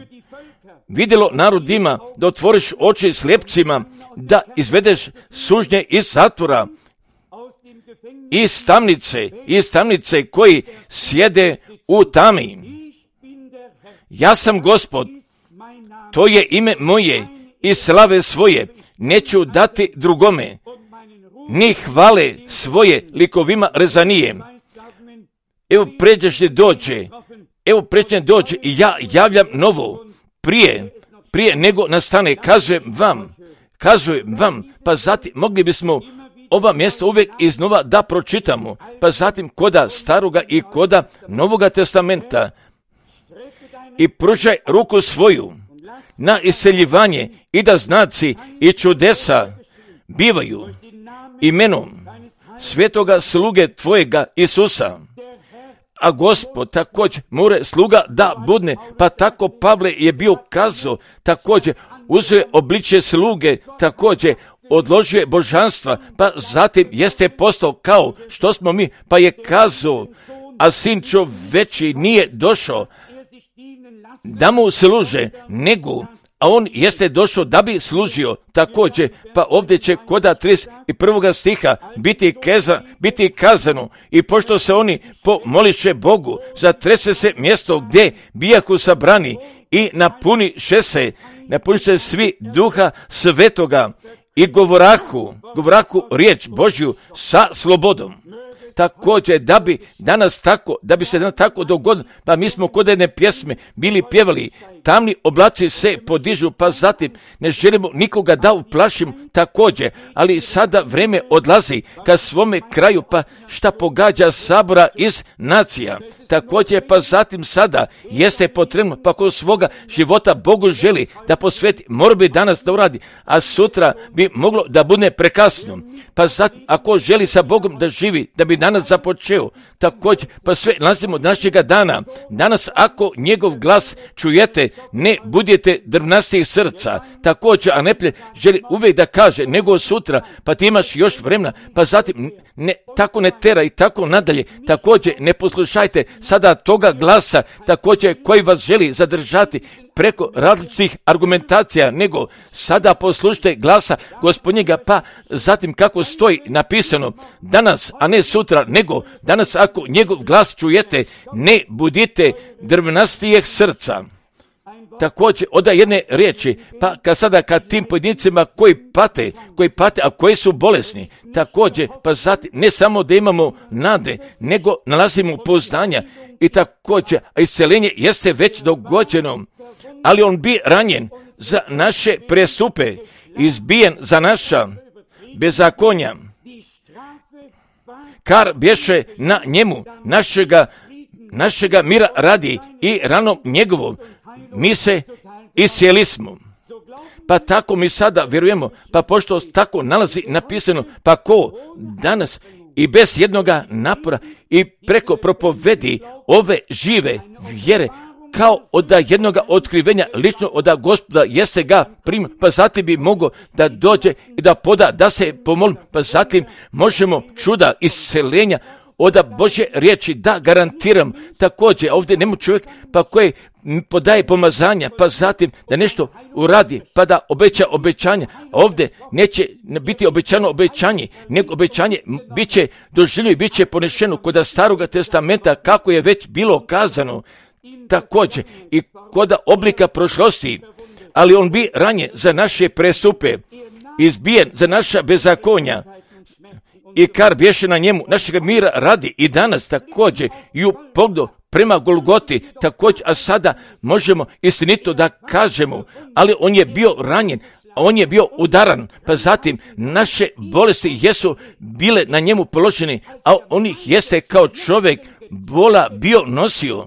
S1: Vidjelo narodima da otvoriš oči slijepcima, da izvedeš sužnje iz zatvora, iz tamnice, iz tamnice koji sjede u tami. Ja sam Gospod, to je ime moje i slave svoje neću dati drugome, ni hvale svoje likovima rezanije. Evo pređešnje dođe, evo pređešnje dođe i ja javljam novo, prije, prije nego nastane, kazujem vam, kazujem vam, pa zatim mogli bismo ova mjesta uvijek iznova da pročitamo, pa zatim koda Staroga i koda Novoga testamenta. I pružaj ruku svoju na iseljivanje i da znaci i čudesa bivaju imenom svetoga sluge tvojega Isusa. A Gospod također more sluga da budne, pa tako Pavle je bio kazao, također uzeo obličje sluge, također odložio božanstva, pa zatim jeste postao kao što smo mi, pa je kazao, a sin čoveči nije došao da mu služe, nego a on jeste došao da bi služio. Također, pa ovdje će koda trideset prvog stiha biti, keza, biti kazano, i pošto se oni pomoliše Bogu, zatrese se mjesto gdje bijahu sabrani i napuniše se, napuniše svi duha svetoga i govorahu, govorahu riječ Božju sa slobodom. Također, da bi danas tako, da bi se danas tako dogodilo, pa mi smo kod jedne pjesme bili pjevali, tamni oblaci se podižu, pa zatim ne želimo nikoga da uplašimo također, ali sada vreme odlazi ka svome kraju, pa šta pogađa sabora iz nacija. Također, pa zatim sada jeste potrebno, pa kod svoga života Bogu želi da posveti, mora bi danas da uradi, a sutra bi moglo da bude prekasno. Pa zatim, ako želi sa Bogom da živi, da bi danas započeo, također, pa sve nalazimo od našega dana. Danas, ako njegov glas čujete, ne budete drvnastih srca. Također, a neplje želi uvijek da kaže, nego sutra, pa ti imaš još vremena, pa zatim ne, tako ne tera i tako nadalje. Također, ne poslušajte sada toga glasa, također koji vas želi zadržati preko različitih argumentacija, nego sada poslušajte glasa Gospodnjega, pa zatim kako stoji napisano, danas, a ne sutra, nego danas ako njegov glas čujete, ne budite drvnastijeg srca. Također, oda jedne riječi, pa kad sada kad tim pojedincima koji pate, koji pate, a koji su bolesni, također, pa zatim, ne samo da imamo nade, nego nalazimo pouzdanja i također, a isceljenje jeste već dogođeno, ali on bi ranjen za naše prestupe, izbijen za naša bezakonja. Kar bješe na njemu našega, našega mira radi i ranom njegovom mi se iscijeli smo. Pa tako mi sada vjerujemo, pa pošto tako nalazi napisano, pa ko danas i bez jednoga napora i preko propovedi ove žive vjere, kao od jednoga otkrivenja lično od Gospoda jeste ga prima, pa zatim bi mogao da dođe i da poda, da se pomolim, pa zatim možemo čuda isceljenja od Božje riječi, da garantiram. Također ovdje nema čovjek pa koji podaje pomazanja, pa zatim da nešto uradi, pa da obeća obećanja. Ovdje neće biti obećano obećanje, nego obećanje bit će doživljeno i bit će ponešeno kod Staroga testamenta, kako je već bilo kazano. Također i kod oblika prošlosti, ali on bi ranjen za naše prestupe, izbijen za naša bezakonja, i kar bješe na njemu našega mira radi i danas također i u pogledu prema Golgoti također, a sada možemo istinito da kažemo, ali on je bio ranjen, on je bio udaran, pa zatim naše bolesti jesu bile na njemu položene, a on ih jeste kao čovjek bola bio nosio.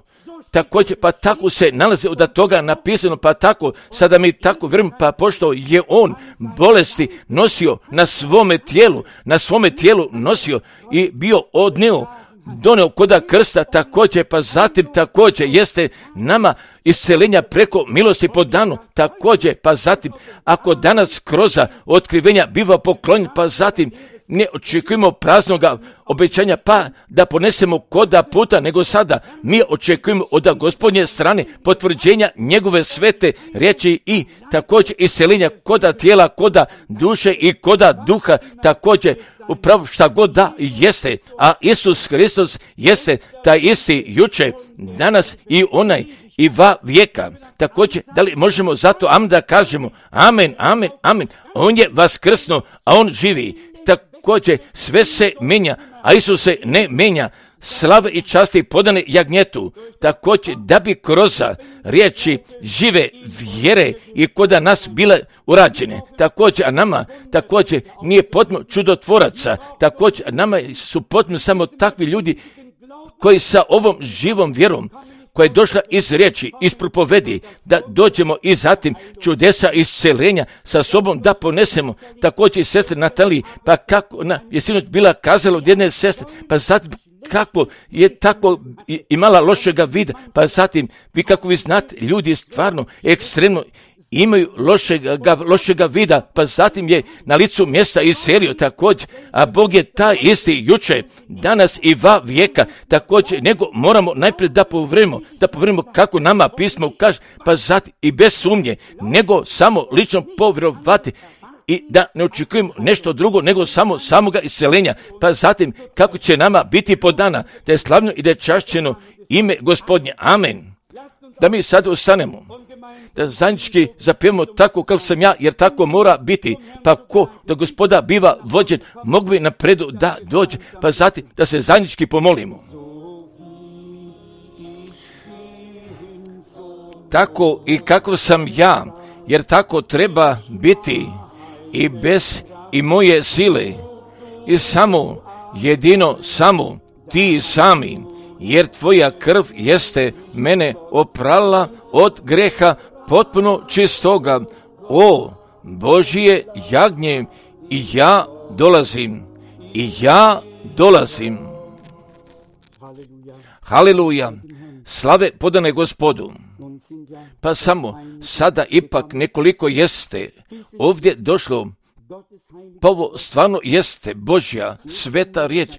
S1: Također, pa tako se nalazi od toga napisano, pa tako, sada mi tako vjerujem, pa pošto je on bolesti nosio na svome tijelu, na svome tijelu nosio i bio odneo, doneo koda krsta, također, pa zatim također jeste nama isceljenja preko milosti po danu, također, pa zatim, ako danas kroz otkrivenja biva poklonjen, pa zatim ne očekujemo praznoga obećanja, pa da ponesemo koda puta, nego sada mi očekujemo od Gospodnje strane potvrđenja njegove svete riječi i također isceljenja koda tijela, koda duše i koda duha, također upravo šta god da jeste, a Isus Hristos jeste taj isti juče, danas i onaj i va vijeka. Također, da li možemo zato amen da kažemo amen, amen, amen, on je vaskrsno, a on živi. Također, sve se menja, a Isus se ne menja. Slave i časti podane jagnjetu, također da bi kroz riječi žive vjere i koda nas bile urađene. Također, a nama također nije potrebno čudotvoraca, također a nama su potrebno samo takvi ljudi koji sa ovom živom vjerom koja je došla iz riječi, iz propovedi, da dođemo i zatim čudesa isceljenja sa sobom da ponesemo. Također i sestre Nataliji, pa kako ona je sinoć bila kazala od jedne sestre, pa zatim kako je tako imala lošega vida, pa zatim vi kako vi znate, ljudi stvarno ekstremno imaju lošega, lošega vida, pa zatim je na licu mjesta iselio također, a Bog je taj isti juče, danas i va vijeka, također, nego moramo najprije da povremimo, da povremimo kako nama pismo kaže, pa zatim i bez sumnje, nego samo lično povjerovati i da ne očekujemo nešto drugo nego samo samoga iseljenja, pa zatim kako će nama biti podana, da je slavno i da je čašćeno ime Gospodnje. Amen. Da mi sad ostanemo, da zajednički zapijemo tako kao sam ja, jer tako mora biti, pa ko da Gospoda biva vođen, mogu bi napredu da dođe, pa zatim da se zajednički pomolimo. Tako i kako sam ja, jer tako treba biti i bez i moje sile, i samo, jedino samo, ti sami, jer tvoja krv jeste mene oprala od greha potpuno čistoga. O Božje jagnje, i ja dolazim, i ja dolazim. Haleluja, slave podane Gospodu. Pa samo sada ipak nekoliko jeste ovdje došlo, pa ovo stvarno jeste Božja sveta riječ,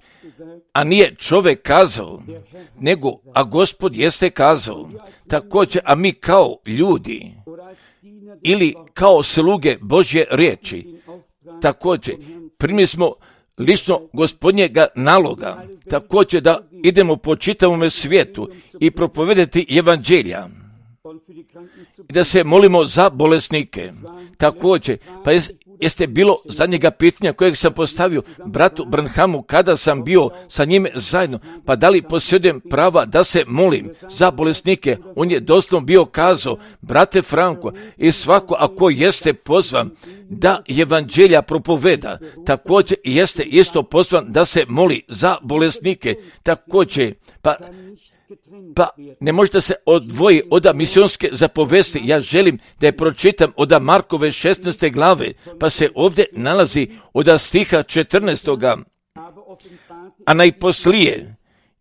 S1: a nije čovjek kazao, nego, a Gospod jeste kazao. Također, a mi kao ljudi, ili kao sluge Božje riječi, također, primili smo lično Gospodnjega naloga, također da idemo po čitavom svijetu i propovedati evanđelja, i da se molimo za bolesnike. Također, pa jeste bilo zadnjega pitanja kojeg sam postavio bratu Branhamu kada sam bio sa njime zajedno, pa da li posjedujem prava da se molim za bolesnike? On je doslovno bio kazao, brate Franko, i svako ako jeste pozvan da evanđelja propoveda, također jeste isto pozvan da se moli za bolesnike, također, pa Pa ne možete se odvoji od misionske zapovesti. Ja želim da je pročitam od Markove šesnaeste glave, pa se ovdje nalazi od stiha četrnaestoga. A najposlije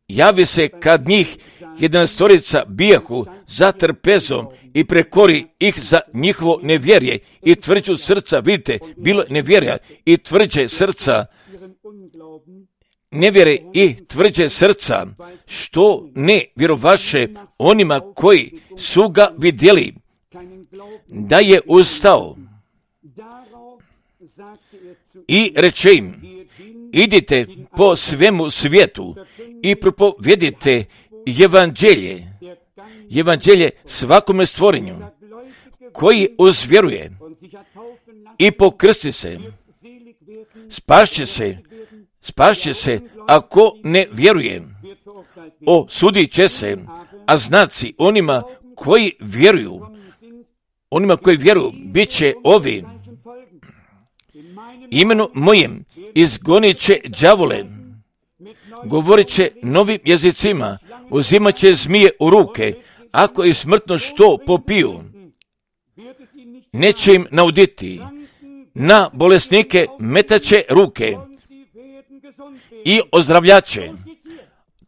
S1: javi se kad njih jedanaestorica bijahu za trpezom i prekori ih za njihovo nevjerje i tvrđu srca. Vidite, bilo nevjerja i tvrđe srca, nevjere i tvrđe srca, što ne vjerovaše onima koji su ga vidjeli, da je ustao i reče im, idite po svemu svijetu i propovedite evanđelje, evanđelje svakome stvorenju, koji uzvjeruje i pokrsti se, spašće se, spašće se, ako ne vjeruje, osudit će se, a znaci onima koji vjeruju, onima koji vjeruju, bit će ovi, imenu mojem izgonit će đavole, govorit će novim jezicima, uzimat će zmije u ruke, ako i smrtno što popiju, neće im nauditi, na bolesnike metaće ruke i ozdravljače.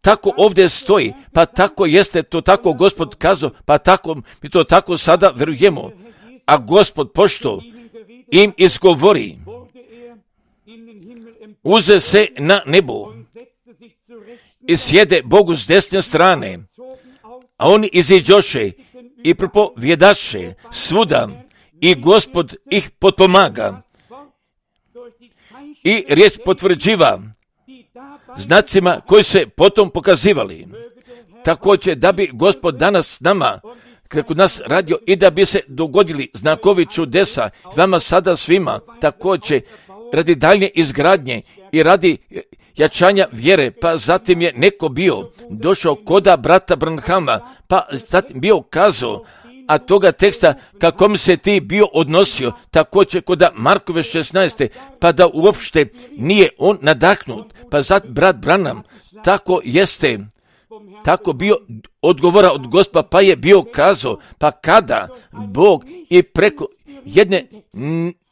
S1: Tako ovdje stoji, pa tako jeste to tako Gospod kazao, pa tako mi to tako sada vjerujemo. A Gospod pošto im izgovori, uze se na nebo i sjede Bogu s desne strane, a oni iziđoše i propovjedaše svuda i Gospod ih potpomaga i riječ potvrđiva znacima koji se potom pokazivali. Također da bi Gospod danas s nama, kako nas radio, i da bi se dogodili znakovi čudesa vama sada svima, također radi daljnje izgradnje i radi jačanja vjere, pa zatim je neko bio došao koda brata Branhama, pa zatim bio kazao, a toga teksta kako mi se ti bio odnosio, također kod Markove šesnaeste, pa da uopšte nije on nadahnut, pa zat brat Branham, tako jeste, tako bio odgovora od Gospa, pa je bio kazao, pa kada Bog i preko jedne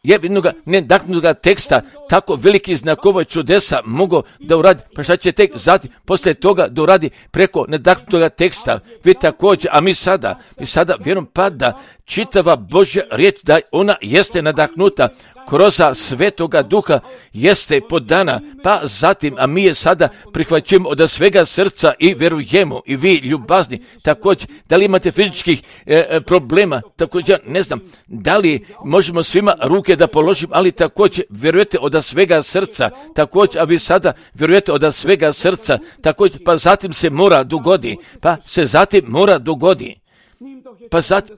S1: jednoga nedahnutoga teksta tako veliki znakova čudesa mogu da uradi, pa šta će tek zatim poslije toga da uradi preko nedahnutoga teksta, vi također, a mi sada, mi sada vjerujem pa da čitava Božja riječ, da ona jeste nadahnuta kroz Svetoga Duha, jeste podana, pa zatim, a mi je sada prihvaćujemo od svega srca i vjerujemo, i vi ljubazni, također, da li imate fizičkih e, problema, također, ne znam, da li možemo svima ruke da položim, ali također vjerujete od svega srca, također, a vi sada vjerujete od svega srca, također, pa zatim se mora dogodi, pa se zatim mora dogodi, pa zatim,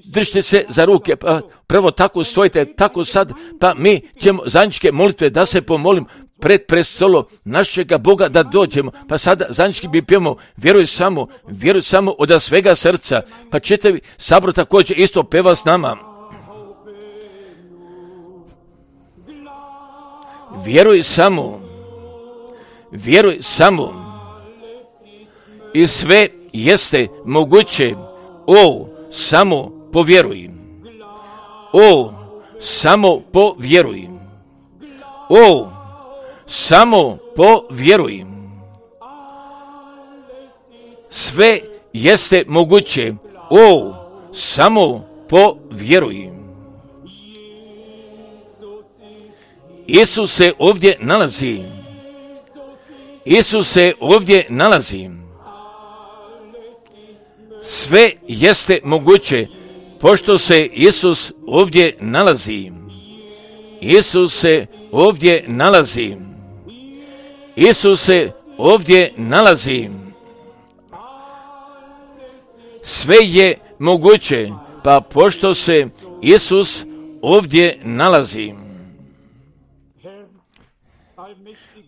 S1: držite se za ruke, pa prvo tako stojite, tako sad, pa mi ćemo zajedničke molitve da se pomolim pred prestolo našega Boga da dođemo, pa sada zajednički bi pjevamo, vjeruj samo, vjeruj samo od svega srca, pa čitavi sabor također isto peva s nama. Vjeruj samo, vjeruj samo, i sve jeste moguće, o, samo povjeruj, o, samo povjeruj, o, samo povjeruj, sve jeste moguće, o, samo povjeruj. Isus se ovdje nalazi, Isus se ovdje nalazi, sve jeste moguće, pošto se Isus ovdje nalazi. Isus se ovdje nalazi. Isus se ovdje nalazi. Sve je moguće, pa pošto se Isus ovdje nalazi.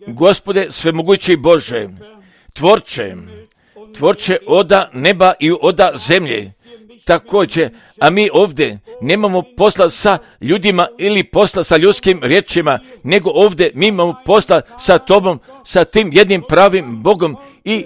S1: Gospode svemogući Bože, tvorče, tvorče oda neba i oda zemlje, također, a mi ovdje nemamo posla sa ljudima ili posla sa ljudskim riječima, nego ovdje mi imamo posla sa Tobom, sa tim jednim pravim Bogom i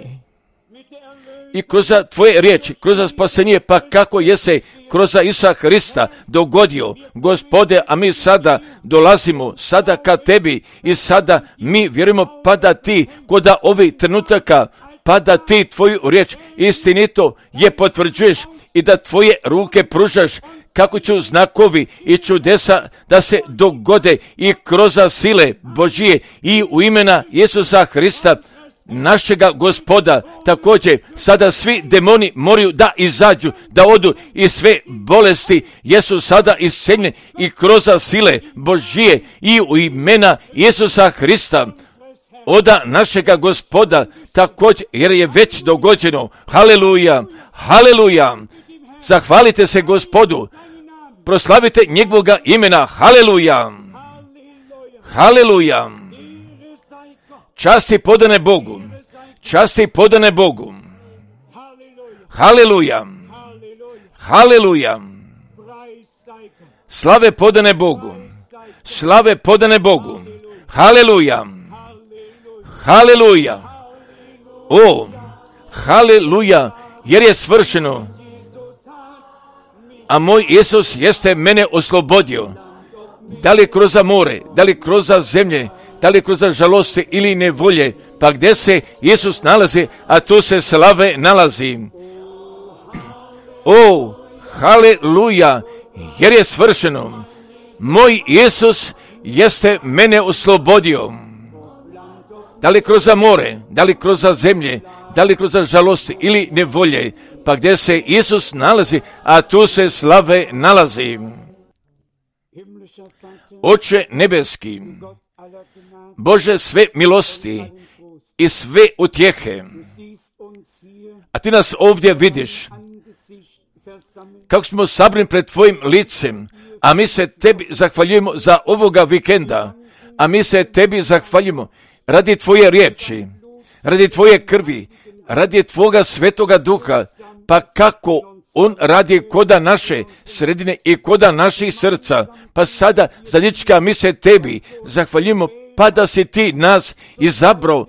S1: i kroz Tvoje riječi, kroz spasenje, pa kako je se kroz Isusa Hrista dogodio, Gospode, a mi sada dolazimo sada ka Tebi i sada mi vjerujemo pa da Ti kod ovih trenutaka, pa da Ti Tvoju riječ istinito je potvrđuješ i da Tvoje ruke pružaš kako će znakovi i čudesa da se dogode i kroz sile Božije i u imena Isusa Hrista, našega Gospoda. Također sada svi demoni moraju da izađu, da odu i sve bolesti jesu sada isceljene i kroz sile Božije i u imena Isusa Hrista oda našega Gospoda, također jer je već dogođeno. Haleluja, haleluja, zahvalite se Gospodu, proslavite njegovoga imena. Haleluja, haleluja. Časti podane Bogu, časti podane Bogu. Haleluja, haleluja. Slave podane Bogu, slave podane Bogu. Haleluja, haleluja. O, haleluja, jer je svršeno. A moj Isus jeste mene oslobodio. Da li kroz more, da li kroz zemlje, da li kroz žalosti ili nevolje, pa gdje se Isus nalazi, a tu se slave nalazi. O, haleluja, jer je svršeno. Moj Isus jeste mene oslobodio. Da li kroz more, da li kroz zemlje, da li kroz žalosti ili nevolje, pa gdje se Isus nalazi, a tu se slave nalazi. Oče nebeski, Bože sve milosti i sve utjehe, a Ti nas ovdje vidiš, kako smo sabrani pred Tvojim licem, a mi se Tebi zahvaljujemo za ovoga vikenda, a mi se Tebi zahvaljujemo radi Tvoje riječi, radi Tvoje krvi, radi Tvoga svetoga duha, pa kako On radi koda naše sredine i koda naših srca, pa sada zadnjička mi se Tebi zahvaljujemo, pa da si Ti nas izabrao,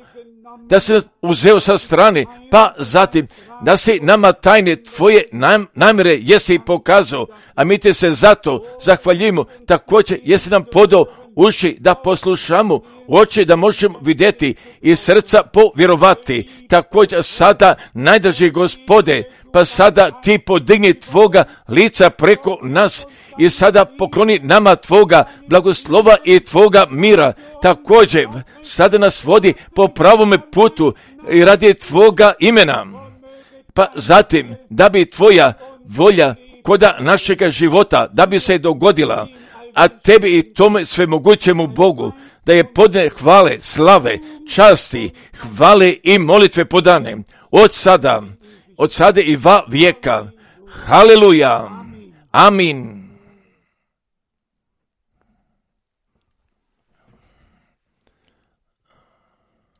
S1: da si nas uzeo sa strane, pa zatim da si nama tajne Tvoje nam, namjere jesi pokazao, a mi Te se zato zahvaljujemo, također jesi nam podao uši da poslušamo, oči da možemo vidjeti i srca povjerovati. Također sada najdrži Gospode, pa sada Ti podigni Tvoga lica preko nas i sada pokloni nama Tvoga blagoslova i Tvoga mira. Također sada nas vodi po pravome putu i radi Tvoga imena. Pa zatim da bi Tvoja volja koda našega života da bi se dogodila, a Tebi i tome svemogućemu Bogu da je podne hvale, slave, časti, hvale i molitve podane od sada, od sada i va vijeka. Haleluja. Amin.